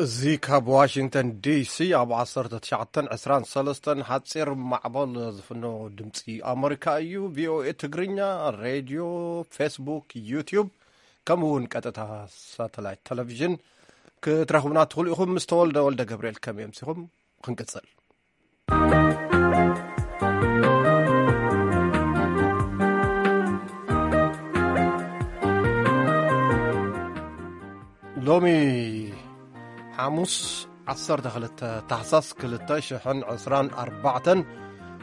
እዚ ካብ ዋሽንግተን ዲሲ ኣብ ዓሰርተ ትሽዓተን ዕስራን ሰለስተን ሓጺር ማዕበል ዝፍኖ ድምጺ ኣመሪካ እዩ። ቪኦኤ ትግርኛ፣ ሬድዮ፣ ፌስቡክ፣ ዩትዩብ፣ ከምኡ እውን ቀጥታ ሳተላይት ቴሌቪዥን ክትረኽቡና ትኽእሉ ኢኹም። ምስ ተወልደ ወልደ ገብርኤል ከመይ ኣምሲኹም? ክንቅጽል። ሎሚ ሓሙስ ዓሰርተ ክልተ ታሕሳስ ክልተ ሽሕን ዕስራን ኣርባዕተን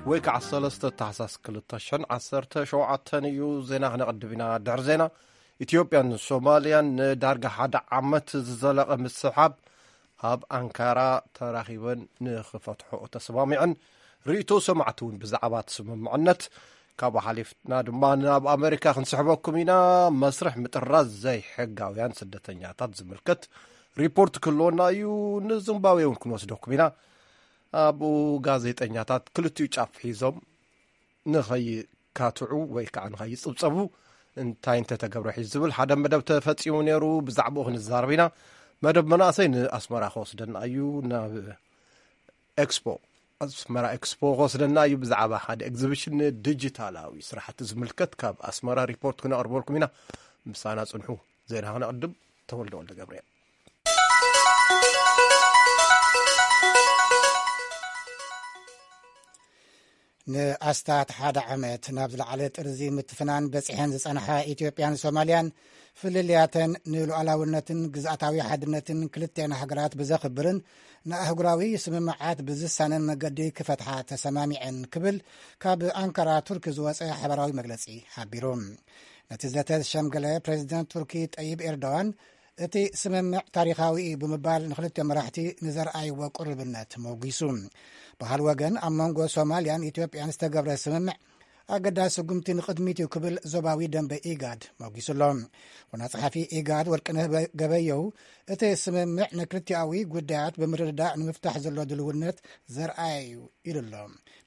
ወይ ከዓ ሰለስተ ታሕሳስ ክልተ ሽሕን ዓሰርተ ሸውዓተን እዩ። ዜና ክነቕድም ኢና። ድሕሪ ዜና፣ ኢትዮጵያን ሶማልያን ንዳርጋ ሓደ ዓመት ዝዘለቐ ምስሕሓብ ኣብ ኣንካራ ተራኺበን ንኽፈትሕኦ ተሰማሚዐን። ርእይቶ ሰማዕቲ እውን ብዛዕባ እቲ ስምምዕነት። ካብኡ ሓሊፍና ድማ ናብ ኣመሪካ ክንስሕበኩም ኢና። መስርሕ ምጥራዝ ዘይሕጋውያን ስደተኛታት ዝምልከት ሪፖርት ክህልወና እዩ። ንዚምባብዌ እውን ክንወስደኩም ኢና። ኣብኡ ጋዜጠኛታት ክልቲኡ ጫፍ ሒዞም ንኸይካትዑ ወይ ከዓ ንኸይጽብጸቡ እንታይ እንተተገብረ ሒዙ ዝብል ሓደ መደብ ተፈጺሙ ነይሩ። ብዛዕባኡ ክንዛረብ ኢና። መደብ መናእሰይ ንኣስመራ ክወስደና እዩ። ናብ ኤክስፖ፣ ኣስመራ ኤክስፖ ክወስደና እዩ። ብዛዕባ ሓደ ኤግዚቢሽን ዲጂታላዊ ስራሕቲ ዝምልከት ካብ ኣስመራ ሪፖርት ክነቕርበልኩም ኢና። ምሳና ጽንሑ። ዜና ክነቕድም። ተወልደ ወልደ ገብርኤል። ንኣስታት ሓደ ዓመት ናብ ዝለዓለ ጥርዚ ምትፍናን በጺሐን ዝጸንሓ ኢትዮጵያን ሶማልያን፣ ፍልልያተን ንሉዓላውነትን ግዝኣታዊ ሓድነትን ክልቲኣን ሃገራት ብዘኽብርን ንኣህጉራዊ ስምምዓት ብዝሳነን መገዲ ክፈትሓ ተሰማሚዐን ክብል ካብ ኣንካራ ቱርኪ ዝወጸ ሓበራዊ መግለጺ ሓቢሩ። ነቲ ዘተ ዝሸምገለ ፕሬዚደንት ቱርኪ ጠይብ ኤርዶዋን፣ እቲ ስምምዕ ታሪኻዊ እዩ ብምባል ንክልቲኦም መራሕቲ ንዘርኣይዎ ቅሩብነት መጒሱ። ብኻልእ ወገን፣ ኣብ መንጎ ሶማልያን ኢትዮጵያን ዝተገብረ ስምምዕ ኣገዳሲ ስጉምቲ ንቕድሚት እዩ ክብል ዞባዊ ደንበ ኢጋድ መጒሱ ኣሎ። ዋና ጸሓፊ ኢጋድ ወርቅነህ በ-፣ ገበየሁ፣ እቲ ስምምዕ ንክልቲኣዊ ጉዳያት ብምርድዳእ ንምፍታሕ ዘሎ ድልውነት ዘርኣየ እዩ ኢሉ ኣሎ።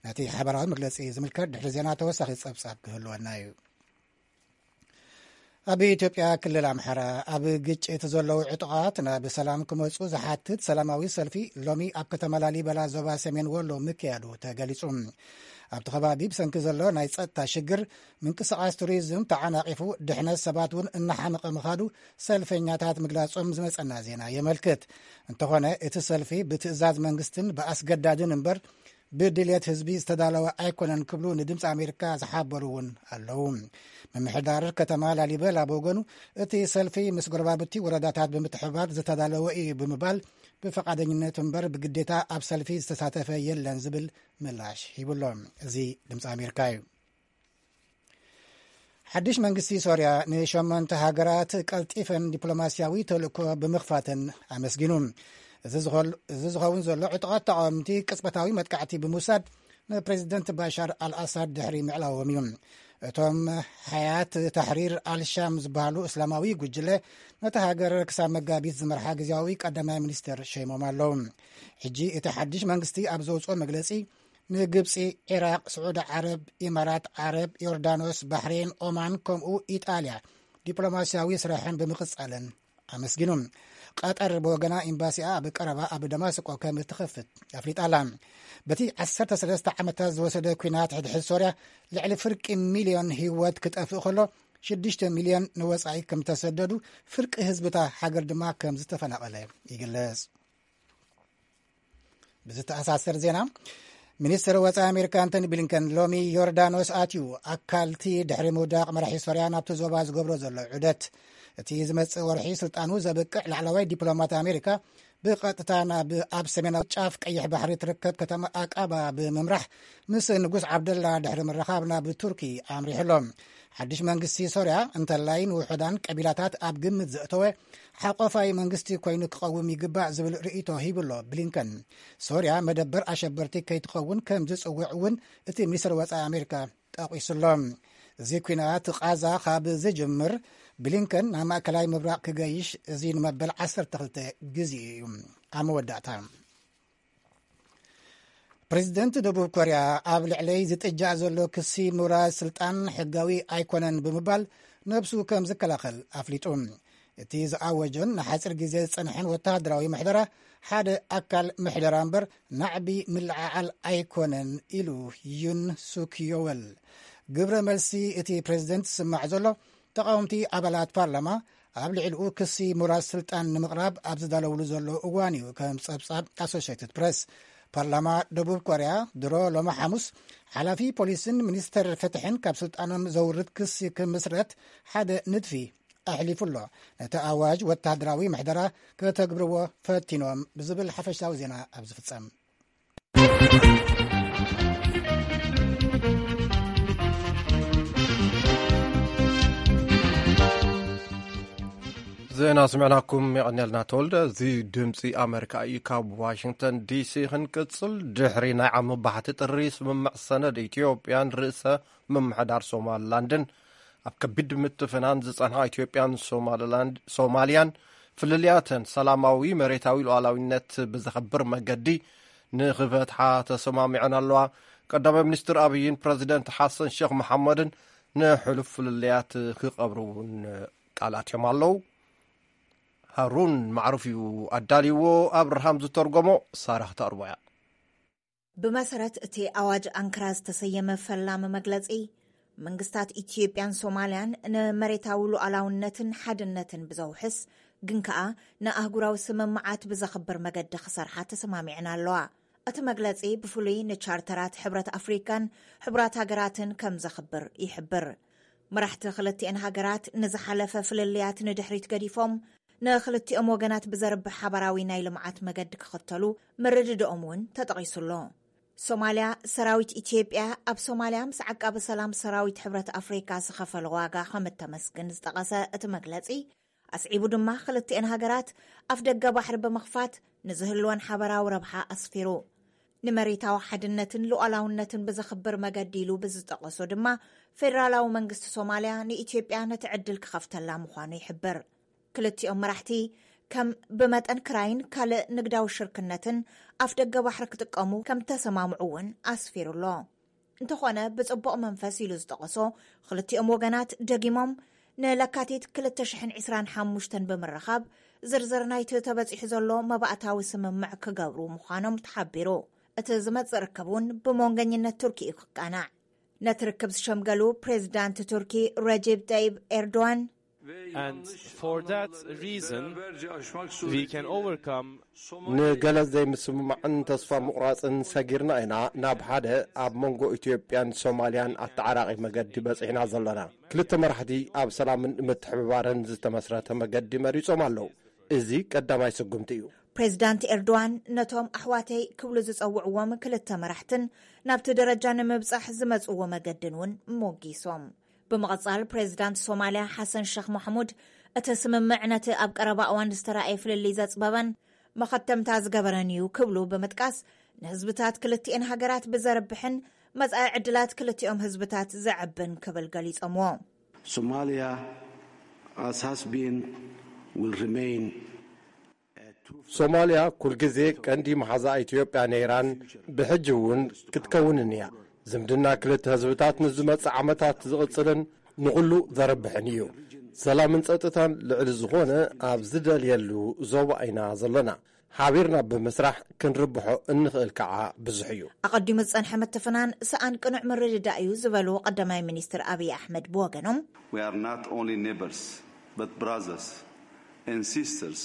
ነቲ ሓበራዊ መግለጺ ዝምልከት ድሕሪ ዜና ተወሳኺ ጸብጻብ ክህልወና እዩ። ኣብ ኢትዮጵያ ክልል ኣምሓራ ኣብ ግጭት ዘለዉ ዕጡቓት ናብ ሰላም ክመጹ ዝሓትት ሰላማዊ ሰልፊ ሎሚ ኣብ ከተማ ላሊበላ ዞባ ሰሜን ወሎ ምክያዱ ተገሊጹ። ኣብቲ ከባቢ ብሰንኪ ዘሎ ናይ ጸጥታ ሽግር ምንቅስቓስ ቱሪዝም ተዓናቒፉ ድሕነት ሰባት እውን እናሓመቐ ምኻዱ ሰልፈኛታት ምግላጾም ዝመጸና ዜና የመልክት። እንተኾነ እቲ ሰልፊ ብትእዛዝ መንግስትን ብኣስገዳድን እምበር ብድልየት ህዝቢ ዝተዳለወ ኣይኮነን ክብሉ ንድምፂ ኣሜሪካ ዝሓበሩ እውን ኣለዉ። ምምሕዳር ከተማ ላሊበላ ብወገኑ እቲ ሰልፊ ምስ ጎረባብቲ ወረዳታት ብምትሕባር ዝተዳለወ እዩ ብምባል ብፈቓደኝነት እምበር ብግዴታ ኣብ ሰልፊ ዝተሳተፈ የለን ዝብል ምላሽ ሂቡሎ። እዚ ድምፂ ኣሜሪካ እዩ። ሓድሽ መንግስቲ ሶርያ ንሸሞንተ ሃገራት ቀልጢፈን ዲፕሎማስያዊ ተልእኮ ብምኽፋተን ኣመስጊኑ። እዚ ዝኸል-፣ እዚ ዝኸውን ዘሎ ዕጡቓት ተቓወምቲ ቅጽበታዊ መጥቃዕቲ ብምውሳድ ንፕሬዚደንት ባሻር ኣልኣሳድ ድሕሪ ምዕላዎም እዩ። እቶም ሓያት ታሕሪር ኣልሻም ዝበሃሉ እስላማዊ ጉጅለ ነቲ ሃገር ክሳብ መጋቢት ዝመርሓ ግዜያዊ ቀዳማይ ሚኒስትር ሸይሞም ኣለዉ። ሕጂ እቲ ሓድሽ መንግስቲ ኣብ ዘውፅኦ መግለፂ ንግብፂ፣ ዒራቕ፣ ስዑዲ ዓረብ፣ ኢማራት ዓረብ፣ ዮርዳኖስ፣ ባሕሬን፣ ኦማን ከምኡ ኢጣልያ ዲፕሎማስያዊ ስራሐን ብምቕጻለን ኣመስጊኑ። ቀጠር ብወገና ኤምባሲኣ ኣብ ቀረባ ኣብ ደማስቆ ከም እትኸፍት ኣፍሊጣ ኣላ። በቲ ዓሰርተ ሰለስተ ዓመታት ዝወሰደ ኲናት ሕድሕድ ሶርያ ልዕሊ ፍርቂ ሚልዮን ህይወት ክጠፍእ ከሎ ሽዱሽተ ሚልዮን ንወጻኢ ከም ዝተሰደዱ ፍርቂ ህዝብታ ሃገር ድማ ከም ዝተፈናቐለ ይግለጽ። ብዝተኣሳሰር ዜና፣ ሚኒስትር ወጻኢ ኣሜሪካ ኣንቶኒ ብሊንከን ሎሚ ዮርዳኖስ ኣትዩ ኣካልቲ ድሕሪ ምውዳቕ መራሒ ሶርያ ናብቲ ዞባ ዝገብሮ ዘሎ ዑደት። እቲ ዝመጽእ ወርሒ ስልጣኑ ዘብቅዕ ላዕለዋይ ዲፕሎማት ኣሜሪካ ብቐጥታ ናብ ኣብ ሰሜናዊ ጫፍ ቀይሕ ባሕሪ ትርከብ ከተማ ኣቃባ ብምምራሕ ምስ ንጉስ ዓብደላ ድሕሪ ምርኻብ ናብ ቱርኪ ኣምሪሑ ኣሎ። ሓድሽ መንግስቲ ሶርያ እንተላይ ንውሑዳን ቀቢላታት ኣብ ግምት ዘእተወ ሓቆፋይ መንግስቲ ኮይኑ ክቐውም ይግባእ ዝብል ርእይቶ ሂቡ ኣሎ ብሊንከን። ሶርያ መደበር ኣሸበርቲ ከይትኸውን ከም ዝጽውዕ እውን እቲ ሚኒስትር ወጻኢ ኣሜሪካ ጠቒሱ ኣሎ። እዚ ኲናት ቓዛ ካብ ዝጅምር ብሊንከን ናብ ማእከላይ ምብራቕ ክገይሽ እዚ ንመበል ዓሰርተ ክልተ ግዜ እዩ። ኣብ መወዳእታ፣ ፕሬዚደንት ደቡብ ኮርያ ኣብ ልዕለይ ዝጥጃእ ዘሎ ክሲ ምውራድ ስልጣን ሕጋዊ ኣይኮነን ብምባል ነብሱ ከም ዝከላኸል ኣፍሊጡ። እቲ ዝኣወጀን ንሓፂር ግዜ ዝፀንሐን ወተሃደራዊ ምሕደራ ሓደ ኣካል ምሕደራ እምበር ናዕቢ ምልዕዓል ኣይኮነን ኢሉ ዩን ሱክዮወል። ግብረ መልሲ እቲ ፕሬዝደንት ዝስማዕ ዘሎ ተቓወምቲ ኣባላት ፓርላማ ኣብ ልዕሊኡ ክሲ ምውራድ ስልጣን ንምቕራብ ኣብ ዝዳለውሉ ዘሎ እዋን እዩ፣ ከም ጸብጻብ ኣሶሽትድ ፕረስ። ፓርላማ ደቡብ ኮርያ ድሮ ሎሚ ሓሙስ ሓላፊ ፖሊስን ሚኒስተር ፍትሕን ካብ ስልጣኖም ዘውርድ ክሲ ክምስረት ሓደ ንድፊ ኣሕሊፉ ኣሎ። ነቲ ኣዋጅ ወታደራዊ ምሕደራ ከተግብርዎ ፈቲኖም ብዝብል ሓፈሻዊ ዜና ኣብ ዝፍጸም። ዜና ስምዕናኩም የቐንየልና ተወልደ። እዚ ድምፂ ኣመሪካ እዩ። ካብ ዋሽንግተን ዲሲ ክንቅፅል፣ ድሕሪ ናይ ዓሚ ባሕቲ ጥሪ ስምምዕ ሰነድ ኢትዮጵያን ርእሰ ምምሕዳር ሶማልላንድን ኣብ ከቢድ ምትፍናን ዝጸንሓ ኢትዮጵያን ሶማልላንድ፣ ሶማልያን ፍልልያተን ሰላማዊ መሬታዊ ሉዓላዊነት ብዘኸብር መገዲ ንኽፈትሓ ተሰማሚዐን ኣለዋ። ቀዳማይ ሚኒስትር ኣብይን ፕረዚደንት ሓሰን ሸኽ መሓመድን ንሕሉፍ ፍልልያት ክቐብሩ እውን ቃል ኣትዮም ኣለዉ። ሃሩን ማዕሩፍ እዩ ኣዳልይዎ፣ ኣብርሃም ዝተርጎሞ፣ ሳራ ክተቕርቦ እያ። ብመሰረት እቲ ኣዋጅ ኣንክራ ዝተሰየመ ፈላሚ መግለጺ፣ መንግስታት ኢትዮጵያን ሶማልያን ንመሬታዊ ሉዓላውነትን ሓድነትን ብዘውሕስ ግን ከኣ ንኣህጉራዊ ስምምዓት ብዘኽብር መገዲ ክሰርሓ ተሰማሚዐን ኣለዋ። እቲ መግለጺ ብፍሉይ ንቻርተራት ሕብረት ኣፍሪካን ሕቡራት ሃገራትን ከም ዘኽብር ይሕብር። መራሕቲ ክልቲኤን ሃገራት ንዝሓለፈ ፍልልያት ንድሕሪት ገዲፎም ንክልቲኦም ወገናት ብዘርብሕ ሓባራዊ ናይ ልምዓት መገዲ ክኽተሉ ምርድድኦም እውን ተጠቒሱ ኣሎ። ሶማልያ፣ ሰራዊት ኢትዮጵያ ኣብ ሶማልያ ምስ ዓቃቢ ሰላም ሰራዊት ሕብረት ኣፍሪካ ዝኸፈሎ ዋጋ ከም እተመስግን ዝጠቐሰ እቲ መግለጺ፣ ኣስዒቡ ድማ ክልቲኤን ሃገራት ኣፍ ደገ ባሕሪ ብምኽፋት ንዝህልወን ሓበራዊ ረብሓ ኣስፊሩ። ንመሬታዊ ሓድነትን ሉዓላውነትን ብዘኽብር መገዲ ኢሉ ብዝጠቐሶ ድማ፣ ፌደራላዊ መንግስቲ ሶማልያ ንኢትዮጵያ ነቲ ዕድል ክኸፍተላ ምዃኑ ይሕብር። ክልቲኦም መራሕቲ ከም ብመጠን ክራይን ካልእ ንግዳዊ ሽርክነትን ኣፍ ደገ ባሕሪ ክጥቀሙ ከም ተሰማምዑ እውን ኣስፊሩ ኣሎ። እንተኾነ፣ ብጽቡቕ መንፈስ ኢሉ ዝጠቐሶ፣ ክልቲኦም ወገናት ደጊሞም ንለካቲት ክልተ ሽሕን ዕስራን ሓሙሽተን ብምርኻብ ዝርዝር ናይቲ ተበጺሑ ዘሎ መባእታዊ ስምምዕ ክገብሩ ምዃኖም ተሓቢሩ። እቲ ዝመጽእ ርክብ እውን ብመንገኝነት ቱርኪ እዩ ክቃናዕ። ነቲ ርክብ ዝሸምገሉ ፕሬዚዳንት ቱርኪ ረጀብ ጠይብ ኤርዶዋን፣ And for that reason, we can overcome ንገለ ዘይምስምማዕን ተስፋ ምቑራጽን ሰጊርና ኢና ናብ ሓደ ኣብ መንጎ ኢትዮጵያን ሶማልያን ኣተዓራቒ መገዲ በጺሕና ዘለና። ክልተ መራሕቲ ኣብ ሰላምን ምትሕብባርን ዝተመስረተ መገዲ መሪጾም ኣለዉ። እዚ ቀዳማይ ስጉምቲ እዩ። ፕሬዚዳንት ኤርዶዋን ነቶም ኣሕዋተይ ክብሉ ዝጸውዕዎም ክልተ መራሕትን ናብቲ ደረጃ ንምብጻሕ ዝመጽእዎ መገድን እውን ሞጊሶም። ብምቕጻል፣ ፕሬዚዳንት ሶማልያ ሓሰን ሸኽ ማሕሙድ፣ እቲ ስምምዕ ነቲ ኣብ ቀረባ እዋን ዝተራእየ ፍልልይ ዘጽበበን መኸተምታ ዝገበረን እዩ ክብሉ ብምጥቃስ፣ ንህዝብታት ክልቲኤን ሃገራት ብዘርብሕን መጻኢ ዕድላት ክልቲኦም ህዝብታት ዘዕብን ክብል ገሊጾምዎ። Somalia, as has been, will remain. ሶማልያ ኩልግዜ ቀንዲ መሓዛ ኢትዮጵያ ነይራን ብሕጂ እውን ክትከውንን እያ። ዝምድና ክልተ ህዝብታት ንዝመጽእ ዓመታት ዝቕጽልን ንኹሉ ዘርብሕን እዩ። ሰላምን ጸጥታን ልዕሊ ዝኾነ ኣብ ዝደልየሉ ዞባ ኢና ዘለና። ሓቢርና ብምስራሕ ክንርብሖ እንኽእል ከዓ ብዙሕ እዩ። ኣቐዲሙ ዝጸንሐ ምትፍናን ሰኣን ቅኑዕ ምርድዳእ እዩ ዝበሉ ቀዳማይ ሚኒስትር ኣብይ ኣሕመድ ብወገኖም፣ We are not only neighbors, but brothers and sisters.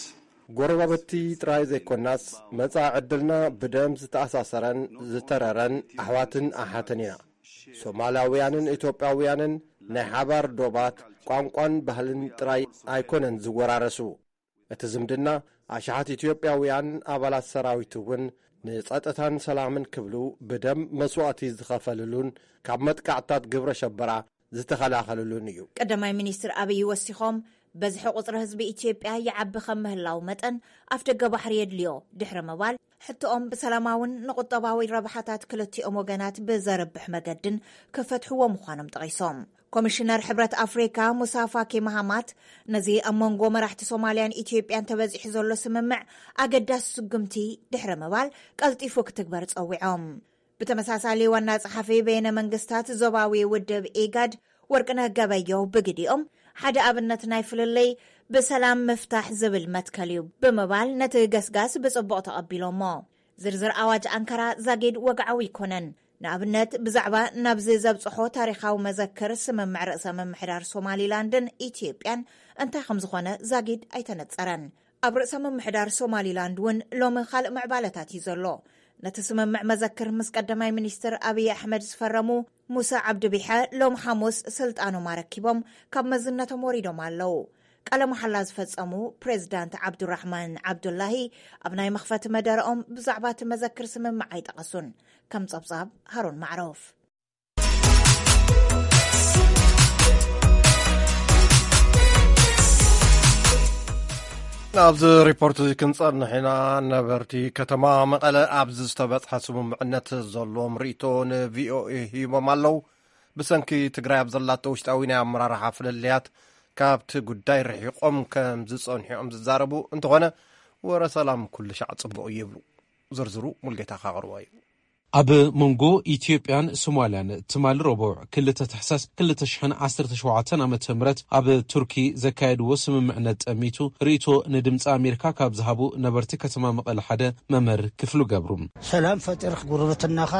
ጎረባብቲ ጥራይ ዘይኮናስ፣ መጻኢ ዕድልና ብደም ዝተኣሳሰረን ዝተረረን ኣሕዋትን ኣሓትን ኢና። ሶማላውያንን ኢትዮጵያውያንን ናይ ሓባር ዶባት፣ ቋንቋን ባህልን ጥራይ ኣይኮነን ዝወራረሱ። እቲ ዝምድና፣ ኣሽሓት ኢትዮጵያውያን ኣባላት ሰራዊት እውን ንጸጥታን ሰላምን ክብሉ ብደም መስዋእቲ ዝኸፈልሉን ካብ መጥቃዕትታት ግብረ ሸበራ ዝተኸላኸልሉን እዩ። ቀዳማይ ሚኒስትር ኣብይ ወሲኾም፣ በዝሒ ቁጽሪ ህዝቢ ኢትዮጵያ ይዓቢ ከም ምህላው መጠን፣ ኣፍ ደገ ባሕሪ የድልዮ ድሕሪ ምባል፣ ሕቶኦም ብሰላማውን ንቁጠባዊ ረብሓታት ክልቲኦም ወገናት ብዘርብሕ መገድን ክፈትሕዎ ምዃኖም ጠቒሶም። ኮሚሽነር ሕብረት ኣፍሪካ ሙሳ ፋኪ ማሃማት፣ ነዚ ኣብ መንጎ መራሕቲ ሶማልያን ኢትዮጵያን ተበጺሑ ዘሎ ስምምዕ ኣገዳሲ ስጉምቲ ድሕሪ ምባል፣ ቀልጢፉ ክትግበር ጸዊዖም። ብተመሳሳሊ፣ ዋና ጸሓፊ በይነ መንግስታት ዞባዊ ውድብ ኢጋድ ወርቅነህ ገበየሁ ብግዲኦም፣ ሓደ ኣብነት ናይ ፍልልይ ብሰላም ምፍታሕ ዝብል መትከል እዩ ብምባል ነቲ ገስጋስ ብጽቡቕ ተቐቢሎሞ። ዝርዝር ኣዋጅ ኣንካራ ዛጊድ ወግዓዊ ኣይኮነን። ንኣብነት ብዛዕባ ናብዚ ዘብጽሖ ታሪኻዊ መዘክር ስምምዕ ርእሰ ምምሕዳር ሶማሊላንድን ኢትዮጵያን እንታይ ከም ዝኾነ ዛጊድ ኣይተነጸረን። ኣብ ርእሰ ምምሕዳር ሶማሊላንድ እውን ሎሚ ካልእ ምዕባለታት እዩ ዘሎ። ነቲ ስምምዕ መዘክር ምስ ቀዳማይ ሚኒስትር ኣብይ ኣሕመድ ዝፈረሙ ሙሳ ዓብዲ ቢሐ ሎም ሓሙስ ስልጣኖም ኣረኪቦም ካብ መዝነቶም ወሪዶም ኣለዉ። ቃለ መሓላ ዝፈጸሙ ፕሬዝዳንት ዓብዱራሕማን ዓብዱላሂ ኣብ ናይ መኽፈቲ መደረኦም ብዛዕባ እቲ መዘክር ስምምዕ ኣይጠቐሱን። ከም ጸብጻብ ሃሩን ማዕሮፍ። ኣብዚ ሪፖርት እዚ ክንጸንሕ ኢና። ነበርቲ ከተማ መቐለ ኣብዚ ዝተበጽሐ ስምምዕነት ዘለዎም ርእይቶ ንቪኦኤ ሂቦም ኣለዉ። ብሰንኪ ትግራይ ኣብ ዘላቶ ውሽጣዊ ናይ ኣመራርሓ ፍልልያት ካብቲ ጉዳይ ርሒቖም ከም ዝጸንሑ እዮም ዝዛረቡ። እንተኾነ ወረ ሰላም ኩሉ ሻዕ ጽቡቕ እዩ ይብሉ። ዝርዝሩ ሙልጌታ ካቕርቦ እዩ። ኣብ መንጎ ኢትዮጵያን ሶማልያን ትማሊ ረቡዕ ክልተ ታሕሳስ ክልተ ሽሕን ዓሰርተ ሸውዓተን ዓመተ ምህረት ኣብ ቱርኪ ዘካየድዎ ስምምዕነት ጠሚቱ ርእይቶ ንድምፂ ኣሜሪካ ካብ ዝሃቡ ነበርቲ ከተማ መቐለ ሓደ መምህር ክፍሉ ገብሩ። ሰላም ፈጢርክ ጉርብትናኻ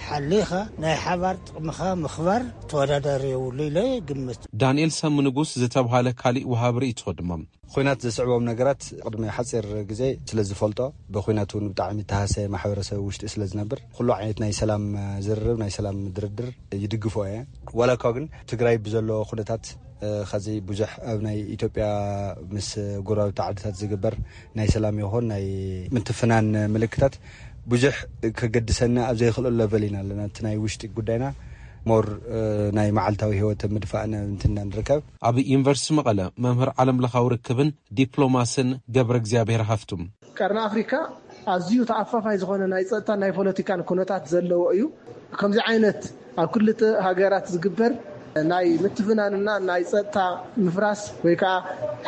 ሓሊኻ ናይ ሓባር ጥቕምኻ ምኽባር ተወዳዳሪ የብሉ ኢለ ግምት። ዳንኤል ሰሙ ንጉስ ዝተብሃለ ካሊእ ወሃብ ርእይቶ ድማ ኩናት ዘስዕቦም ነገራት ቅድሚ ሓፂር ግዜ ስለ ዝፈልጦ ብኩናት እውን ብጣዕሚ ተሃሰየ ማሕበረሰብ ውሽጢ ስለ ዝነብር ኩሉ ዓይነት ናይ ሰላም ዝርርብ ናይ ሰላም ድርድር ይድግፎ እየ። ዋላ እኳ ግን ትግራይ ብዘሎ ኩነታት ኸዚ ብዙሕ ኣብ ናይ ኢትዮጵያ ምስ ጎረባብቲ ዓድታት ዝግበር ናይ ሰላም ይኹን ናይ ምትፍናን ምልክታት ብዙሕ ከገድሰና ኣብ ዘይኽእለሉ ለቨል ኢና ኣለና። እቲ ናይ ውሽጢ ጉዳይና ሞር ናይ መዓልታዊ ህይወት ምድፋእና እንትና ንርከብ። ኣብ ዩኒቨርሲቲ መቐለ መምህር ዓለምለኻዊ ርክብን ዲፕሎማስን ገብረ እግዚኣብሔር ሃፍቱ። ቀርኒ ኣፍሪካ ኣዝዩ ተኣፋፋይ ዝኾነ ናይ ፀጥታን ናይ ፖለቲካን ኩነታት ዘለዎ እዩ። ከምዚ ዓይነት ኣብ ክልተ ሃገራት ዝግበር ናይ ምትፍናንና ናይ ፀጥታ ምፍራስ ወይ ከዓ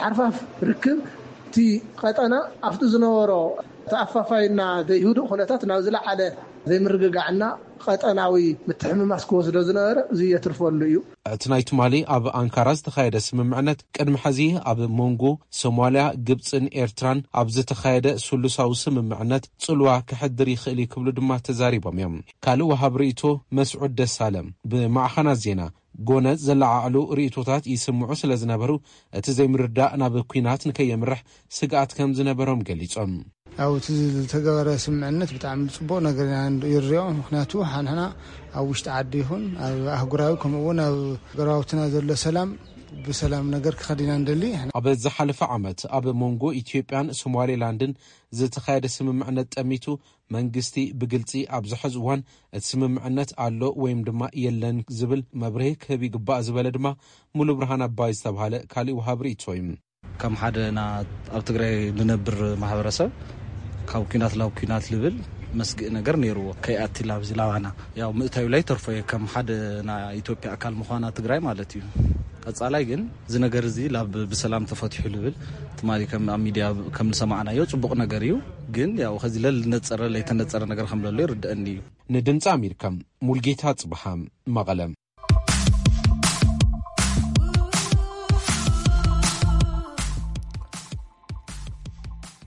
ሓርፋፍ ርክብ እቲ ቀጠና ኣብቲ ዝነበሮ ተኣፋፋይና ዘይህዱእ ኩነታት ናብ ዝለዓለ ዘይምርግጋዕና ቀጠናዊ ምትሕምማስ ክወስዶ ዝነበረ እዚ የትርፈሉ እዩ። እቲ ናይ ትማሊ ኣብ ኣንካራ ዝተኻየደ ስምምዕነት ቅድሚ ሕዚ ኣብ መንጎ ሶማልያ፣ ግብፅን ኤርትራን ኣብ ዝተኻየደ ስሉሳዊ ስምምዕነት ፅልዋ ከሕድር ይኽእል እዩ ክብሉ ድማ ተዛሪቦም እዮም። ካልእ ወሃብ ርእይቶ መስዑድ ደሳለ ብማዕኸናት ዜና ጎነጽ ዘለዓዕሉ ርእይቶታት ይስምዑ ስለ ዝነበሩ እቲ ዘይምርዳእ ናብ ኲናት ንከየምርሕ ስግኣት ከም ዝነበሮም ገሊጾም። ያው እቲ ዝተገበረ ስምምዕነት ብጣዕሚ ፅቡቕ ነገር ኢና ንሪኦ። ምኽንያቱ ሓንሕና ኣብ ውሽጢ ዓዲ ይኹን ኣብ ኣህጉራዊ ከምኡ እውን ኣብ ጎረባብትና ዘሎ ሰላም ብሰላም ነገር ክኸድ ኢና ንደሊ። ኣብ ዝሓለፈ ዓመት ኣብ መንጎ ኢትዮጵያን ሶማሌላንድን ዝተኻየደ ስምምዕነት ጠሚቱ መንግስቲ ብግልፂ ኣብዚ ሕዚ እዋን እቲ ስምምዕነት ኣሎ ወይም ድማ የለን ዝብል መብርሂ ክህብ ይግባእ ዝበለ ድማ ሙሉብርሃን ኣባይ ዝተብሃለ ካሊእ ወሃብ ርእይቶ እዩ። ከም ሓደ ና ኣብ ትግራይ ንነብር ማሕበረሰብ ካብ ኲናት ናብ ኲናት ልብል መስግእ ነገር ነይርዎ። ከይኣቲ ላብዚ ላባና ያው ምእታዩ ላይ ተርፎ እየ ከም ሓደ ናይ ኢትዮጵያ ኣካል ምዃና ትግራይ ማለት እዩ። ቀፃላይ ግን እዚ ነገር እዚ ላብ ብሰላም ተፈትሑ ልብል ትማሊ ከም ኣብ ሚድያ ከም ዝሰማዕናዮ ፅቡቕ ነገር እዩ። ግን ያው ከዚ ለልነፀረ ለይተነፀረ ነገር ከም ለሎ ይርድአኒ እዩ። ንድምፂ ኣሜሪካ ሙልጌታ ፅብሓ መቐለ።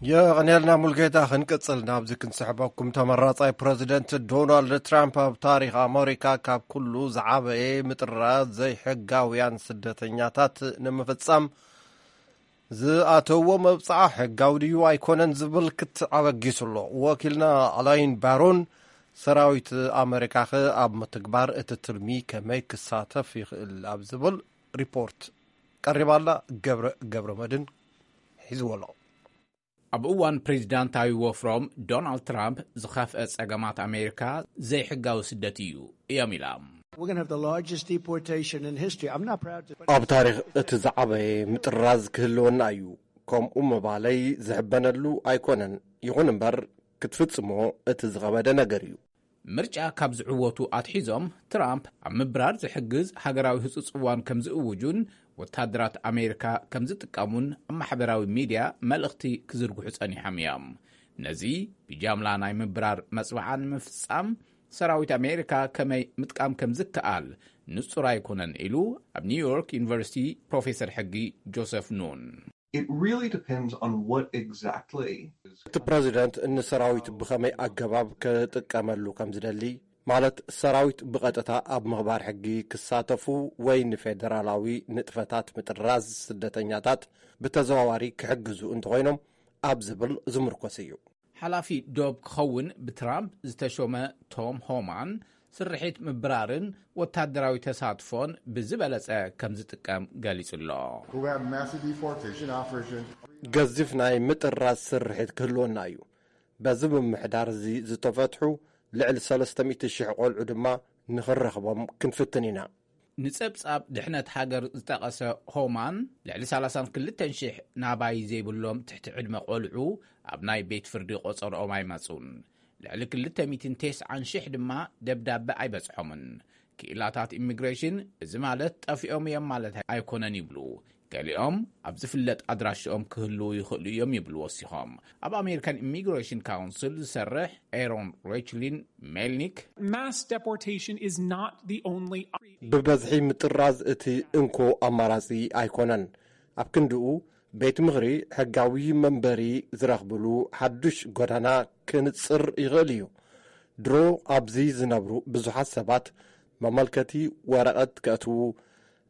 የቐንየልና ሙልጌታ። ክንቅፅል ናብዚ ክንስሕበኩም፣ ተመራፃይ ፕረዚደንት ዶናልድ ትራምፕ ኣብ ታሪኽ ኣመሪካ ካብ ኩሉ ዝዓበየ ምጥራዝ ዘይሕጋውያን ስደተኛታት ንምፍፃም ዝኣተዎ መብፅዓ ሕጋዊ ድዩ ኣይኮነን ዝብል ክትዕ ኣበጊሱ ኣሎ። ወኪልና ኣላይን ባሮን ሰራዊት ኣመሪካኸ ኣብ ምትግባር እቲ ትልሚ ከመይ ክሳተፍ ይኽእል ኣብ ዝብል ሪፖርት ቀሪባ ኣላ። ገብረ ገብረ መድን ሒዝዎ ኣሎ። ኣብ እዋን ፕሬዚዳንታዊ ወፍሮም ዶናልድ ትራምፕ ዝኸፍአ ጸገማት ኣሜሪካ ዘይሕጋዊ ስደት እዩ እዮም ኢላ። ኣብ ታሪኽ እቲ ዝዓበየ ምጥራዝ ክህልወና እዩ። ከምኡ ምባለይ ዝሕበነሉ ኣይኮነን፣ ይኹን እምበር ክትፍጽሞ እቲ ዝኸበደ ነገር እዩ። ምርጫ ካብ ዝዕወቱ ኣትሒዞም ትራምፕ ኣብ ምብራር ዝሕግዝ ሃገራዊ ህጹጽ እዋን ከም ዝእውጁን ወታደራት ኣሜሪካ ከም ዝጥቀሙን ኣብ ማሕበራዊ ሚድያ መልእኽቲ ክዝርግሑ ጸኒሖም እዮም። ነዚ ብጃምላ ናይ ምብራር መጽብዓ ንምፍጻም ሰራዊት ኣሜሪካ ከመይ ምጥቃም ከም ዝከኣል ንጹር ኣይኮነን ኢሉ ኣብ ኒውዮርክ ዩኒቨርሲቲ ፕሮፌሰር ሕጊ ጆሰፍ ኑን። It really depends on what exactly is. እቲ ፕረዚደንት ንሰራዊት ብኸመይ ኣገባብ ክጥቀመሉ ከም ዝደሊ፣ ማለት ሰራዊት ብቐጥታ ኣብ ምኽባር ሕጊ ክሳተፉ ወይ ንፌደራላዊ ንጥፈታት ምጥራዝ ስደተኛታት ብተዘዋዋሪ ክሕግዙ እንተኾይኖም ኣብ ዝብል ዝምርኮስ እዩ። ሓላፊ ዶብ ክኸውን ብትራምፕ ዝተሾመ ቶም ሆማን፣ ስርሒት ምብራርን ወታደራዊ ተሳትፎን ብዝበለጸ ከም ዝጥቀም ገሊጹ ኣሎ። Who have massive deportation operation. ገዚፍ ናይ ምጥራዝ ስርሒት ክህልወና እዩ። በዚ ምምሕዳር እዚ ዝተፈትሑ ልዕሊ ሰለስተ ሚእቲ ሽሕ ቆልዑ ድማ ንኽንረኽቦም ክንፍትን ኢና። ንጸብጻብ ድሕነት ሃገር ዝጠቐሰ ሆማን፣ ልዕሊ ሰላሳን ክልተን ሽሕ ናባይ ዘይብሎም ትሕቲ ዕድመ ቆልዑ ኣብ ናይ ቤት ፍርዲ ቆጸርኦም ኣይመጹን። ልዕሊ ክልተ ሚእትን ተስዓን ሽሕ ድማ ደብዳበ ኣይበጽሖምን። ክኢላታት ኢሚግሬሽን፣ እዚ ማለት ጠፊኦም እዮም ማለት ኣይኮነን ይብሉ። ገሊኦም ኣብ ዝፍለጥ ኣድራሽኦም ክህልዉ ይኽእሉ እዮም ይብሉ ወሲኾም። ኣብ ኣሜሪካን ኢሚግሬሽን ካውንስል ዝሰርሕ ኤሮን ሬችሊን ሜልኒክ፣ Mass deportation is not the only ብበዝሒ ምጥራዝ እቲ እንኮ ኣማራጺ ኣይኮነን። ኣብ ክንድኡ ቤት ምኽሪ ሕጋዊ መንበሪ ዝረኽብሉ ሓዱሽ ጎዳና ክንጽር ይኽእል እዩ። ድሮ ኣብዚ ዝነብሩ ብዙሓት ሰባት መመልከቲ ወረቐት ከእትዉ፣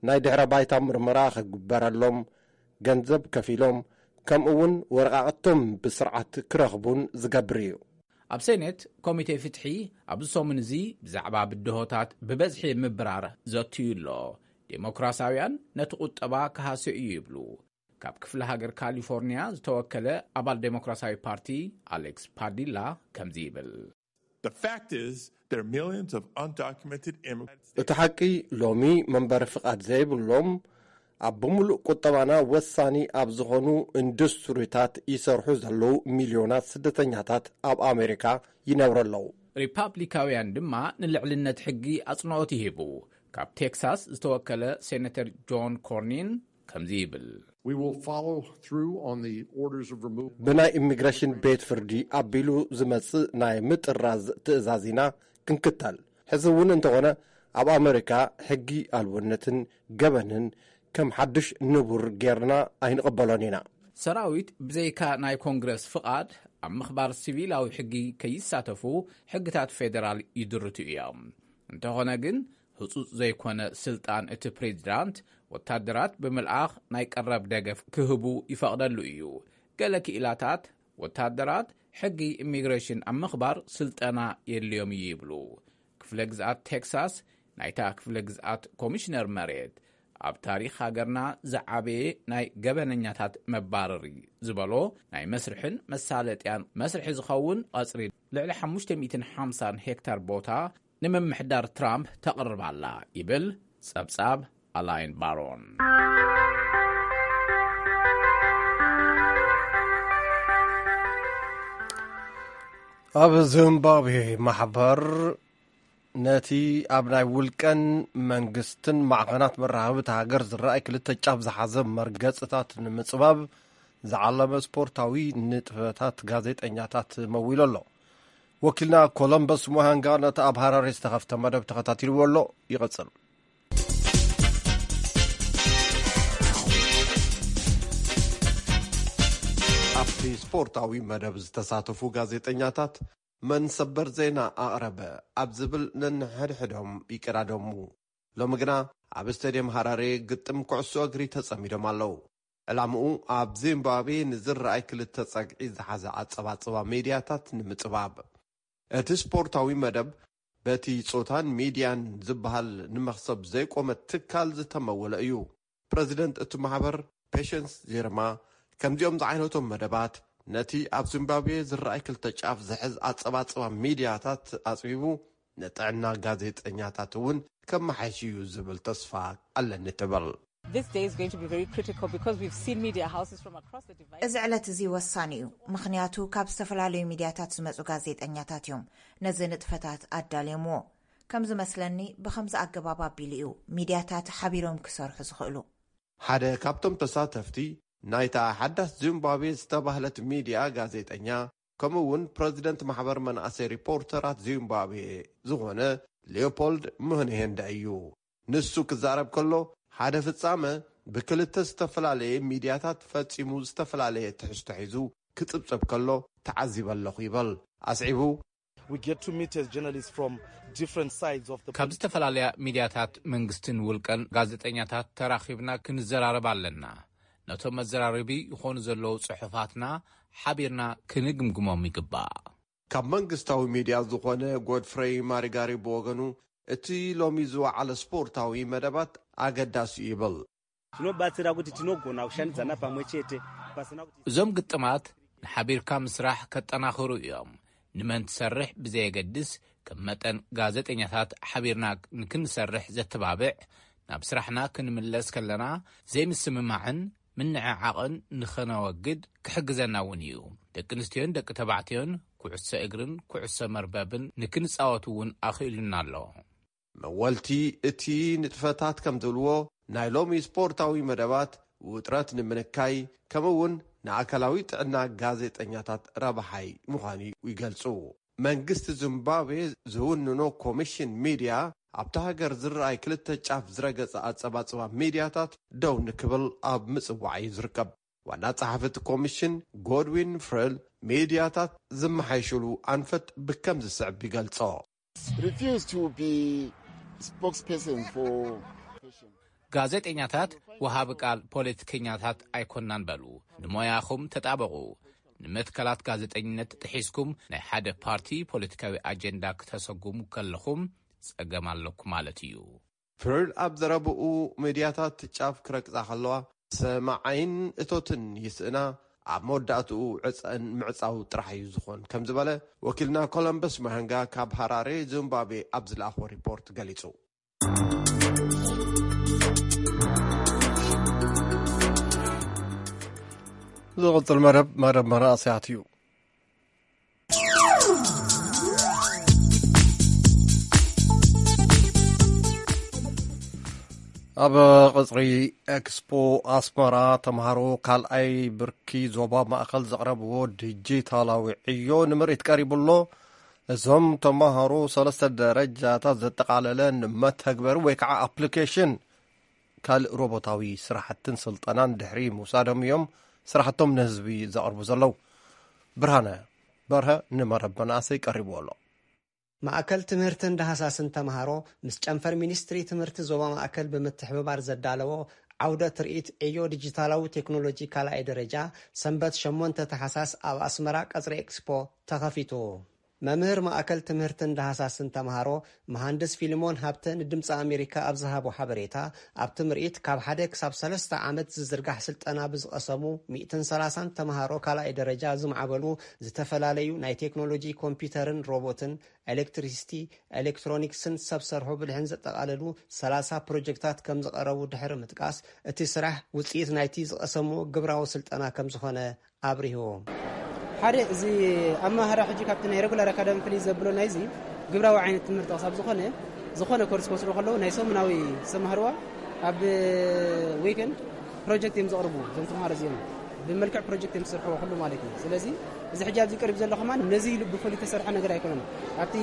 ናይ ድሕረ ባይታ ምርመራ ክግበረሎም፣ ገንዘብ ከፊሎም፣ ከምኡ እውን ወረቓቕቶም ብስርዓት ክረኽቡን ዝገብር እዩ። ኣብ ሴኔት ኮሚቴ ፍትሒ ኣብዚ ሰሙን እዚ ብዛዕባ ብድሆታት ብበዝሒ ምብራር ዘትዩ ኣሎ። ዴሞክራሲያውያን ነቲ ቁጠባ ክሃስዮ እዩ ይብሉ። ካብ ክፍለ ሃገር ካሊፎርኒያ ዝተወከለ ኣባል ዴሞክራሲያዊ ፓርቲ ኣሌክስ ፓዲላ ከምዚ ይብል። The fact is, there are millions of undocumented immigrants. እቲ ሓቂ፣ ሎሚ መንበሪ ፍቓድ ዘይብሎም፣ ኣብ ብምሉእ ቁጠባና ወሳኒ ኣብ ዝኾኑ ኢንዱስትሪታት ይሰርሑ ዘለዉ ሚልዮናት ስደተኛታት ኣብ ኣሜሪካ ይነብሩ ኣለዉ። ሪፓብሊካውያን ድማ ንልዕልነት ሕጊ ኣጽንኦት ይህቡ። ካብ ቴክሳስ ዝተወከለ ሴነተር ጆን ኮርኒን ከምዚ ይብል። We will follow through on the orders of removal. ብናይ ኢሚግሬሽን ቤት ፍርዲ ኣቢሉ ዝመጽእ ናይ ምጥራዝ ትእዛዝ ኢና ክንክተል። ሕዚ እውን እንተኾነ ኣብ ኣሜሪካ ሕጊ ኣልቦነትን ገበንን ከም ሓድሽ ንቡር ጌርና ኣይንቕበሎን ኢና። ሰራዊት ብዘይካ ናይ ኮንግረስ ፍቓድ ኣብ ምኽባር ሲቪላዊ ሕጊ ከይሳተፉ ሕግታት ፌደራል ይድርቱ እዮም። እንተኾነ ግን ህጹጽ ዘይኮነ ስልጣን እቲ ፕሬዚዳንት ወታደራት ብምልኣኽ ናይ ቀረብ ደገፍ ክህቡ ይፈቕደሉ እዩ። ገለ ክኢላታት ወታደራት ሕጊ ኢሚግሬሽን ኣብ ምኽባር ስልጠና የድልዮም እዩ ይብሉ። ክፍለ ግዝኣት ቴክሳስ ናይታ ክፍለ ግዝኣት ኮሚሽነር መሬት ኣብ ታሪኽ ሃገርና ዝዓበየ ናይ ገበነኛታት መባረሪ ዝበሎ ናይ መስርሕን መሳለጥያን መስርሒ ዝኸውን ቐጽሪ ልዕሊ ሓሙሽተ ሚእትን ሓምሳን ሄክታር ቦታ ንምምሕዳር ትራምፕ ተቕርብ ኣላ ይብል ጸብጻብ ኣላይን ባሮን። ኣብ ዚምባብዌ ማሕበር ነቲ ኣብ ናይ ውልቀን መንግስትን ማዕኸናት መራኸቢ እታ ሃገር ዝረኣይ ክልተ ጫፍ ዝሓዘ መርገጽታት ንምጽባብ ዝዓለመ ስፖርታዊ ንጥፈታት ጋዜጠኛታት መዊሉ ኣሎ። ወኪልና ኮሎምበስ ሙሃንጋ ነቲ ኣብ ሃራሬ ዝተኸፍተ መደብ ተኸታቲልዎ ኣሎ። ይቐጽል። ኣብቲ ስፖርታዊ መደብ ዝተሳተፉ ጋዜጠኛታት መን ሰበር ዜና ኣቕረበ ኣብ ዝብል ነንሕድሕዶም ይቀዳደሙ። ሎሚ ግና ኣብ ስቴድየም ሃራሬ ግጥም ኩዕሶ እግሪ ተጸሚዶም ኣለዉ። ዕላምኡ ኣብ ዚምባብዌ ንዝረኣይ ክልተ ጸግዒ ዝሓዘ ኣጸባጽባ ሚድያታት ንምጽባብ። እቲ ስፖርታዊ መደብ በቲ ጾታን ሚድያን ዝበሃል ንመኽሰብ ዘይቆመ ትካል ዝተመወለ እዩ። ፕረዚደንት እቲ ማሕበር ፔሸንስ ዜርማ ከምዚኦም ዝዓይነቶም መደባት ነቲ ኣብ ዚምባብዌ ዝረኣይ ክልተ ጫፍ ዝሕዝ ኣጸባጽባ ሚድያታት ኣጽቢቡ ንጥዕና ጋዜጠኛታት እውን ከመሓይሽ እዩ ዝብል ተስፋ ኣለኒ ትብል። This day is going to be very critical because we've seen media houses from across the divide. እዚ ዕለት እዚ ወሳኒ እዩ፣ ምኽንያቱ ካብ ዝተፈላለዩ ሚድያታት ዝመጹ ጋዜጠኛታት እዮም ነዚ ንጥፈታት ኣዳልዮምዎ። ከም ዝመስለኒ ብኸምዚ ኣገባብ ኣቢሉ እዩ ሚድያታት ሓቢሮም ክሰርሑ ዝኽእሉ። ሓደ ካብቶም ተሳተፍቲ ናይታ ሓዳስ ዚምባብዌ ዝተባህለት ሚድያ ጋዜጠኛ ከምኡ እውን ፕረዚደንት ማሕበር መናእሰይ ሪፖርተራት ዚምባብዌ ዝኾነ ሊዮፖልድ ምህንሄንዳ እዩ። ንሱ ክዛረብ ከሎ ሓደ ፍጻመ ብክልተ ዝተፈላለየ ሚድያታት ፈጺሙ ዝተፈላለየ ትሕዝቶ ሒዙ ክጽብጸብ ከሎ ተዓዚበ ኣለኹ ይብል። ኣስዒቡ፣ We get to meet as journalists from different sides of the ካብ ዝተፈላለያ ሚድያታት መንግስትን ውልቀን ጋዜጠኛታት ተራኺብና ክንዘራረብ ኣለና። ነቶም መዘራረቢ ይኾኑ ዘለዉ ጽሑፋትና ሓቢርና ክንግምግሞም ይግባእ። ካብ መንግስታዊ ሚድያ ዝኾነ ጎድፍረይ ማሪጋሪ ብወገኑ፣ እቲ ሎሚ ዝወዓለ ስፖርታዊ መደባት ኣገዳሲ እዩ ይብል። Tinobatsira kuti tinogona kushandidzana pamwe chete, pasina kuti እዞም ግጥማት ንሓቢርካ ምስራሕ ከጠናኽሩ እዮም። ንመን ትሰርሕ ብዘየገድስ፣ ከም መጠን ጋዜጠኛታት ሓቢርና ንክንሰርሕ ዘተባብዕ፣ ናብ ስራሕና ክንምለስ ከለና ዘይምስምማዕን ምንዕዓቕን ንኸነወግድ ክሕግዘና እውን እዩ። ደቂ ኣንስትዮን ደቂ ተባዕትዮን ኩዕሶ እግርን ኩዕሶ መርበብን ንክንጻወት እውን ኣኽኢሉና ኣሎ። መወልቲ እቲ ንጥፈታት ከም ዝብልዎ፣ ናይ ሎሚ ስፖርታዊ መደባት ውጥረት ንምንካይ፣ ከምኡ እውን ንኣካላዊ ጥዕና ጋዜጠኛታት ረብሓይ ምዃኑ ይገልጹ። መንግስቲ ዚምባብዌ ዝውንኖ ኮሚሽን ሚድያ፣ ኣብታ ሃገር ዝረኣይ ክልተ ጫፍ ዝረገጸ ኣጸባጽባ ሚድያታት ደው ንክብል ኣብ ምጽዋዕ እዩ ዝርከብ። ዋና ጸሓፊ እቲ ኮሚሽን ጎድዊን ፍሬል፣ ሚድያታት ዝመሓይሽሉ ኣንፈት ብከም ዝስዕብ ይገልጾ። Refuse to be spokesperson for fashion. ጋዜጠኛታት ወሃቢ ቃል ፖለቲከኛታት ኣይኮናን በሉ። ንሞያኹም ተጣበቑ። ንመትከላት ጋዜጠኝነት ጥሒስኩም ናይ ሓደ ፓርቲ ፖለቲካዊ ኣጀንዳ ክተሰጉሙ ከለኹም ጸገም ኣለኩም ማለት እዩ። ፍሬል ኣብ ዘረብኡ፣ ሚድያታት ጫፍ ክረግጻ ከለዋ ሰማዓይን እቶትን ይስእና፣ ኣብ መወዳእትኡ ዕጸን ምዕጻው ጥራሕ እዩ ዝኾን ከም ዝበለ ወኪልና ኮሎምበስ ማሃንጋ ካብ ሃራሬ ዚምባብዌ ኣብ ዝለኣኽዎ ሪፖርት ገሊጹ። ዝቕጽል መደብ፣ መደብ መናእሰያት እዩ። ኣብ ቅጽሪ ኤክስፖ ኣስመራ፣ ተምሃሮ ካልኣይ ብርኪ ዞባ ማእከል ዘቕረብዎ ዲጂታላዊ ዕዮ ንምርኢት ቀሪቡ ኣሎ። እዞም ተምሃሮ ሰለስተ ደረጃታት ዘጠቓለለ ንመተግበሪ ወይ ከዓ ኣፕሊኬሽን ካልእ ሮቦታዊ ስራሕትን ስልጠናን ድሕሪ ምውሳዶም እዮም ስራሕቶም ንህዝቢ ዘቕርቡ ዘለዉ። ብርሃነ በርሀ ንመረብ መናእሰይ ቀሪብዎ ኣሎ። ማእከል ትምህርትን ዳህሳስን ተምሃሮ ምስ ጨንፈር ሚኒስትሪ ትምህርቲ ዞባ ማእከል ብምትሕብባር ዘዳለዎ ዓውደ ትርኢት ዕዮ ዲጂታላዊ ቴክኖሎጂ ካልኣይ ደረጃ ሰንበት ሸሞንተ ታሕሳስ ኣብ ኣስመራ ቀጽሪ ኤክስፖ ተኸፊቱ። መምህር ማእከል ትምህርትን ዳህሳስን ተምሃሮ መሃንድስ ፊልሞን ሃብተ ንድምፂ ኣሜሪካ ኣብ ዝሃቦ ሓበሬታ፣ ኣብቲ ምርኢት ካብ ሓደ ክሳብ ሰለስተ ዓመት ዝዝርጋሕ ስልጠና ብዝቐሰሙ ሚእትን ሰላሳን ተምሃሮ ካልኣይ ደረጃ ዝማዕበሉ ዝተፈላለዩ ናይ ቴክኖሎጂ ኮምፒውተርን ሮቦትን፣ ኤሌክትሪሲቲ፣ ኤሌክትሮኒክስን ሰብ ሰርሖ ብልሕን ዘጠቓለሉ ሰላሳ ፕሮጀክታት ከም ዝቐረቡ ድሕሪ ምጥቃስ፣ እቲ ስራሕ ውፅኢት ናይቲ ዝቐሰምዎ ግብራዊ ስልጠና ከም ዝኾነ ኣብሪሁ። ሓደ እዚ ኣመሃህራ ሕጂ ካብቲ ናይ ሬጉላር ኣካዳሚ ፍልይ ዘብሎ ናይዚ ግብራዊ ዓይነት ትምህርቲ ክሳብ ዝኾነ፣ ዝኾነ ኮርስ ክወስዱ ከለዉ ናይ ሰሙናዊ ዝተማህርዋ ኣብ ዊክንድ ፕሮጀክት እዮም ዘቕርቡ እዞም ተምሃሮ እዚኦም። ብመልክዕ ፕሮጀክት እዮም ዝሰርሕዎ ኩሉ ማለት እዩ። ስለዚ እዚ ሕጂ ኣብዚ ቀሪቡ ዘሎ ከማን ነዚ ኢሉ ብፍሉይ ዝተሰርሐ ነገር ኣይኮነን። ኣብቲ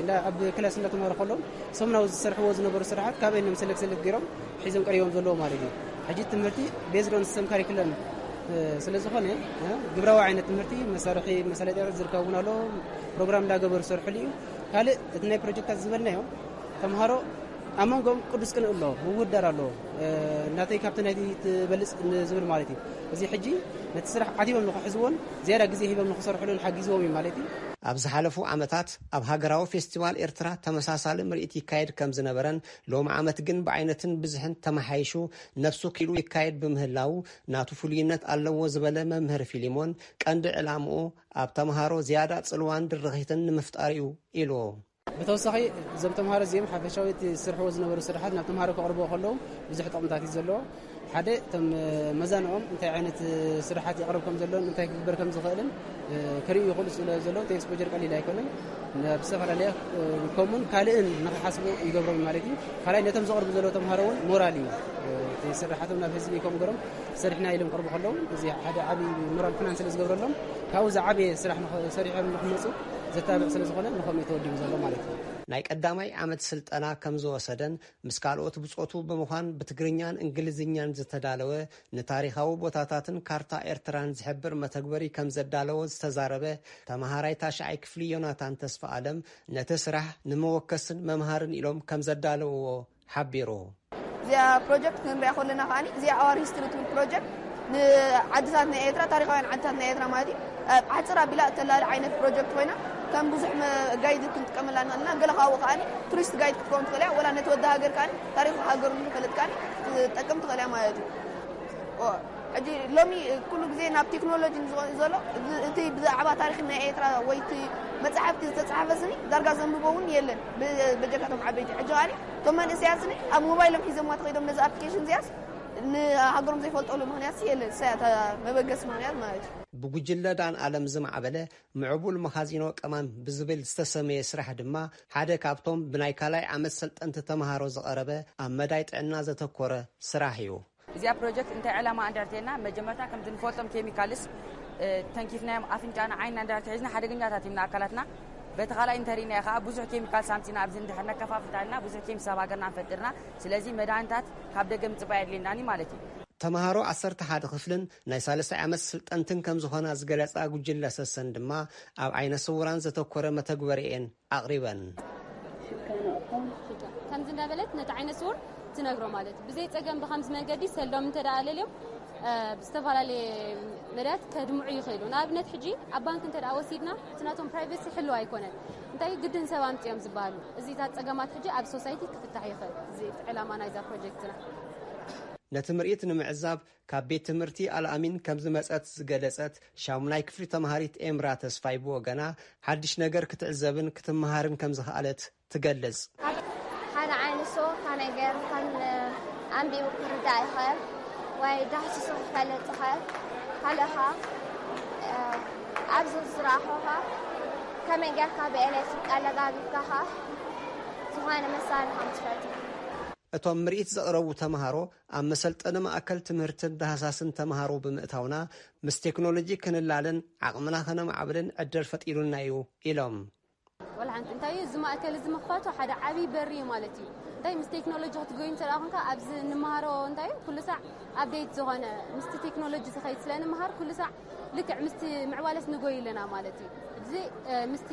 እንዳ-፣ ኣብ ክላስ እንዳተምሃሩ ከለዉ ሰሙናዊ ዝሰርሕዎ ዝነበሩ ስራሓት ካበይ እዮም ሰለክት ሰለክት ገይሮም ሒዞም ቀሪቦም ዘለዉ ማለት እዩ። ሕጂ ትምህርቲ ቤዝድ ኦን ሲስተም ካሪኩለም፣ እ፣ ስለ ዝኾነ፣ እ፣ ግብራዊ ዓይነት ትምህርቲ መሳርሒ መሳለጥያታት ዝርከብ እውን ኣሎ። ፕሮግራም እንዳገበሩ ዝሰርሕሉ እዩ። ካልእ እቲ ናይ ፕሮጀክታት ዝበልናዮ ተምሃሮ ኣብ መንጎኦም ቅዱስ ቅንኢ ኣሎ፣ ምውዳር ኣሎ። እ፣ ናተይ ካብቲ ናይቲ ትበልጽ ንዝብል ማለት እዩ። እዚ ሕጂ ነቲ ስራሕ ዓቲቦም ንኽሕዝዎን ዝያዳ ግዜ ሂቦም ንኽሰርሕሉን ሓጊዝዎም እዩ ማለት እዩ። ኣብ ዝሓለፉ ዓመታት ኣብ ሃገራዊ ፌስቲቫል ኤርትራ ተመሳሳሊ ምርኢት ይካየድ ከም ዝነበረን፣ ሎሚ ዓመት ግን ብዓይነትን ብዝሕን ተመሓይሹ ነብሱ ክኢሉ ይካየድ ብምህላዉ ናቱ ፍሉይነት ኣለዎ ዝበለ መምህር ፊሊሞን፣ ቀንዲ ዕላምኡ ኣብ ተምሃሮ ዝያዳ ጽልዋን ድርኺትን ንምፍጣር እዩ ኢሉ። ብተወሳኺ እዞም ተምሃሮ እዚኦም ሓፈሻዊ እቲ ዝሰርሕዎ ዝነበሩ ስራሓት ናብ ተምሃሮ ከቕርብዎ ከለዉ ብዙሕ ጥቕምታት እዩ ዘለዎ። ሓደ፣ እቶም መዛንኦም እንታይ ዓይነት ስራሓት የቕርብ ከም ዘሎን እንታይ ክግበር ከም ዝኽእልን ክርእዩ ይኽእሉ ስለ ዘለዉ፣ እቲ ኤክስፖጀር ቀሊል ኣይኮነን። ናብ ዝተፈላለየ ከምኡን ካልእን ንኽሓስቡ ይገብሮም ማለት እዩ። ካልኣይ፣ ነቶም ዘቕርቡ ዘለዉ ተምሃሮ እውን ሞራል እዩ። እቲ ስራሓቶም ናብ ህዝቢ ከምኡ ገይሮም ሰሪሕና ኢሎም ክቕርቡ ከለዉ፣ እዚ ሓደ ዓብዪ ሞራል ፍናን ስለ ዝገብረሎም፣ ካብኡ ዝዓበየ ስራሕ ንኽ-፣ ሰሪሖም ንክመፁ ዘተባብዕ ስለ ዝኾነ ንኸምኡ ተወዲቡ ዘሎ ማለት እዩ። ናይ ቀዳማይ ዓመት ስልጠና ከም ዝወሰደን ምስ ካልኦት ብጾቱ ብምዃን ብትግርኛን እንግሊዝኛን ዝተዳለወ ንታሪኻዊ ቦታታትን ካርታ ኤርትራን ዝሕብር መተግበሪ ከም ዘዳለወ ዝተዛረበ ተመሃራይ ታሽዓይ ክፍሊ ዮናታን ተስፋ ኣለም፣ ነቲ ስራሕ ንመወከስን መምሃርን ኢሎም ከም ዘዳለውዎ ሓቢሩ። እዚኣ ፕሮጀክት ክንሪኣ ከለና ከዓኒ እዚኣ ኣዋር ሂስትሪ ትብል ፕሮጀክት ንዓድታት ናይ ኤርትራ፣ ታሪኻውያን ዓድታት ናይ ኤርትራ ማለት እዩ፣ ኣብ ሓፅር ኣቢላ እተላለ ዓይነት ፕሮጀክት ኮይና ከም ብዙሕ መ- ጋይድ ክንጥቀመላ ንኽእል ኢና። ገለ ካብኡ ከዓኒ ቱሪስት ጋይድ ክትከውን ትኽእል እያ። ወላ ነቲ ወዲ ሃገር ከዓኒ ታሪኽ ሃገሩ ንክፈልጥ ከዓኒ ትጠቅም ትኽእል እያ ማለት እዩ። ሕጂ ሎሚ ኩሉ ግዜ ናብ ቴክኖሎጂ ንዝኾ- ዘሎ እቲ ብዛዕባ ታሪኽ ናይ ኤርትራ ወይ እቲ መፅሓፍቲ ዝተፅሓፈ ስኒ ዳርጋ ዘንብቦ እውን የለን። በጀካቶም ዓበይቲ ሕጂ ከዓኒ እቶም መንእሰያት ስኒ ኣብ ሞባይሎም ሒዞምዋ ተኸይዶም ነዚ ኣፕሊኬሽን እዚኣስ ንሃገሮም ዘይፈልጠሉ ምኽንያት የለን። እሳያ መበገሲ ምኽንያት ማለት እዩ። ብጉጅለ ዳን ኣለም ዝማዕበለ ምዕቡል መኻዚኖ ቀማም ብዝብል ዝተሰመየ ስራሕ ድማ ሓደ ካብቶም ብናይ ካልኣይ ዓመት ሰልጠንቲ ተምሃሮ ዝቐረበ ኣብ መዳይ ጥዕና ዘተኮረ ስራሕ እዩ። እዚኣ ፕሮጀክት እንታይ ዕላማ እንዳርተና መጀመርታ ከምቲ ንፈልጦም ኬሚካልስ ተንኪፍናዮም ኣፍንጫና ዓይንና እንዳርተ ሒዝና ሓደገኛታት እዮም ንኣካላትና። በቲ ካልኣይ እንተሪእናዮ ከዓ ብዙሕ ኬሚካል ሳምፂና ኣብዚ እንድሕር ነከፋፍታልና ብዙሕ ኬሚካል ሰብ ሃገርና ንፈጥርና። ስለዚ መድሃኒታት ካብ ደገ ምፅባይ ኣድልየናኒ ማለት እዩ። ተምሃሮ ዓሰርተ ሓደ ክፍልን ናይ ሳልሳይ ዓመት ስልጠንትን ከም ዝኾና ዝገለፃ ጉጅለ ሰሰን ድማ ኣብ ዓይነ ስውራን ዘተኮረ መተግበሪኤን ኣቕሪበን። ከምዚ እንዳበለት ነቲ ዓይነ ስውር ትነግሮ ማለት ብዘይ ፀገም ብከምዚ መንገዲ ሰሎም እንተ ደኣ ኣለልዮም ብዝተፈላለየ መዳያት ከድምዑ ይኽእሉ። ንኣብነት ሕጂ ኣብ ባንክ እንተ ደኣ ወሲድና እቲ ናቶም ፕራይቬሲ ሕልው ኣይኮነን። እንታይ ግድን ሰብ ኣምፅኦም ዝበሃሉ እዚታት ፀገማት ሕጂ ኣብ ሶሳይቲ ክፍታሕ ይኽእል። እዚ ዕላማ ናይዛ ፕሮጀክትና። ነቲ ምርኢት ንምዕዛብ ካብ ቤት ትምህርቲ ኣልኣሚን ከም ዝመጸት ዝገለጸት ሻሙናይ ክፍሊ ተምሃሪት ኤምራ ተስፋይ ብወገና ሓድሽ ነገር ክትዕዘብን ክትመሃርን ከም ዝኸኣለት ትገልጽ። ሓደ ዓይነት ሰው ካብ ነገር ከም ኣንቢቡ ክርዳእ ይኽእል ወይ ዳህሲሱ ክፈልጥ ይኽእል። ካልእኻ ኣብዚ ዝረኣኹኻ ከመይ ጌርካ ብኤሌክትሪክ ኣለጋቢብካኻ ዝኾነ መሳርሒ ከም ትፈጥር። እቶም ምርኢት ዘቕረቡ ተምሃሮ ኣብ መሰልጠኒ ማእከል ትምህርትን ዳህሳስን ተምሃሮ ብምእታውና ምስ ቴክኖሎጂ ክንላለን ዓቕምና ከነማዕብልን ዕድል ፈጢሩልና እዩ ኢሎም። ወላ ሓንቲ እንታይ እዩ እዚ ማእከል እዚ ምኽፋቱ ሓደ ዓብዪ በሪ እዩ ማለት እዩ። እንታይ ምስ ቴክኖሎጂ ክትጎይ እንተ ደኣ ኮንካ ኣብዚ እንመሃሮ እንታይ እዩ ኩሉ ሳዕ ኣፕዴት ዝኾነ ምስቲ ቴክኖሎጂ ዝኸይድ ስለ ንምሃር ኩሉ ሳዕ ልክዕ ምስቲ ምዕባለስ ንጎይ ኣለና ማለት እዩ። እዚ ምስቲ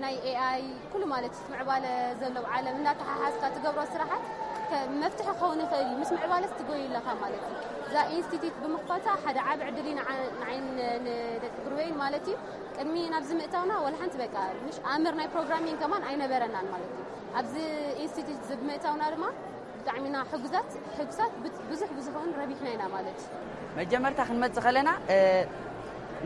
ናይ ኤኣይ ኩሉ ማለት እቲ ምዕባለ ዘሎ ዓለም እንዳተሓሓዝካ ትገብሮ ስራሓት መፍትሒ ክኸውን ይኽእል እዩ። ምስ ምዕባለስ ትጎይ ኣለኻ ማለት እዩ። እዛ ኢንስቲትዩት ብምኽፋታ ሓደ ዓቢ ዕድል እዩ ንዓይን ንደቂ ግሩበይን ማለት እዩ። ቅድሚ ናብዚ ምእታውና ወላ ሓንቲ በቃ ምሽ ኣምር ናይ ፕሮግራሚንግ ከማን ኣይነበረናን ማለት እዩ። ኣብዚ ኢንስቲትዩት እዚ ብምእታውና ድማ ብጣዕሚ ኢና ሕጉዛት ሕጉሳት ብዙሕ ብዙሕ እውን ረቢሕና ኢና ማለት እዩ። መጀመርታ ክንመጽእ ከለና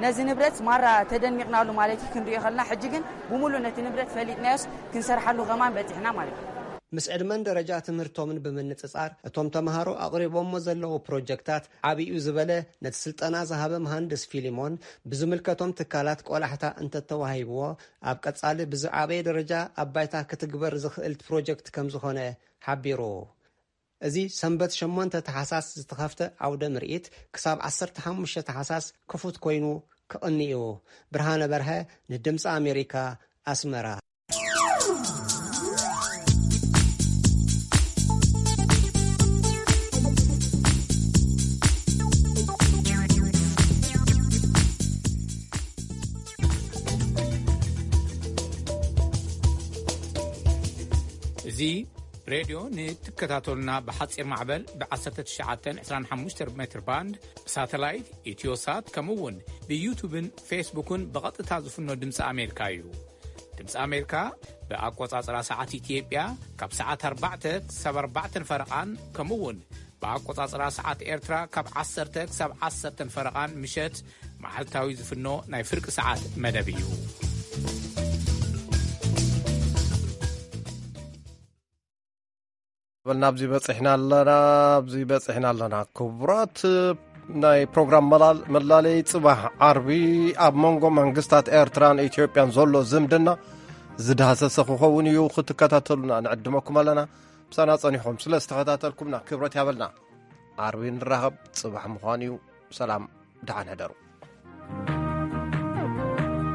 ነዚ ንብረት ማራ ተደኒቕናሉ ማለት እዩ ክንሪኦ ከለና፣ ሕጂ ግን ብሙሉእ ነቲ ንብረት ፈሊጥናዮስ ክንሰርሓሉ ከማን በጺሕና ማለት እዩ። ምስ ዕድመን ደረጃ ትምህርቶምን ብምንጽጻር እቶም ተምሃሮ ኣቕሪቦሞ ዘለዉ ፕሮጀክታት ዓብዩ ዝበለ ነቲ ስልጠና ዝሃበ መሃንድስ ፊሊሞን ብዝምልከቶም ትካላት ቆላሕታ እንተተዋሂብዎ ኣብ ቀጻሊ ብዝዓበየ ደረጃ ኣብ ባይታ ክትግበር ዝኽእል ፕሮጀክት ከም ዝኾነ ሓቢሩ። እዚ ሰንበት ሸሞንተ ተሓሳስ ዝተኸፍተ ዓውደ ምርኢት ክሳብ ዓሰርተ ሓሙሽተ ተሓሳስ ክፉት ኮይኑ ክቕኒ እዩ። ብርሃነ በርሀ ንድምፂ ኣሜሪካ ኣስመራ። እዚ ሬድዮ ንትከታተሉና ብሓፂር ማዕበል ብ1925 ሜትር ባንድ ብሳተላይት ኢትዮሳት ከምኡ እውን ብዩቱብን ፌስቡክን ብቐጥታ ዝፍኖ ድምፂ ኣሜሪካ እዩ። ድምፂ ኣሜሪካ ብኣቆፃፅራ ሰዓት ኢትዮጵያ ካብ ሰዓት ኣርባዕተ ክሳብ ኣርባዕተ ፈረቓን ከምኡ እውን ብኣቆፃፅራ ሰዓት ኤርትራ ካብ ዓሰርተ ክሳብ ዓሰርተ ፈረቓን ምሸት መዓልታዊ ዝፍኖ ናይ ፍርቂ ሰዓት መደብ እዩ። በልና ኣብዚ በፂሕና ኣለና፣ ኣብዚ በፂሕና ኣለና። ክቡራት ናይ ፕሮግራም መላለይ ፅባሕ ዓርቢ ኣብ መንጎ መንግስታት ኤርትራን ኢትዮጵያን ዘሎ ዝምድና ዝዳህሰሰ ክኸውን እዩ። ክትከታተሉና ንዕድመኩም ኣለና። ምሳና ጸኒኹም ስለ ዝተኸታተልኩምና ክብረት ያበልና። ዓርቢ ንራኸብ፣ ጽባሕ ምዃን እዩ። ሰላም፣ ደሓን ሕደሩ።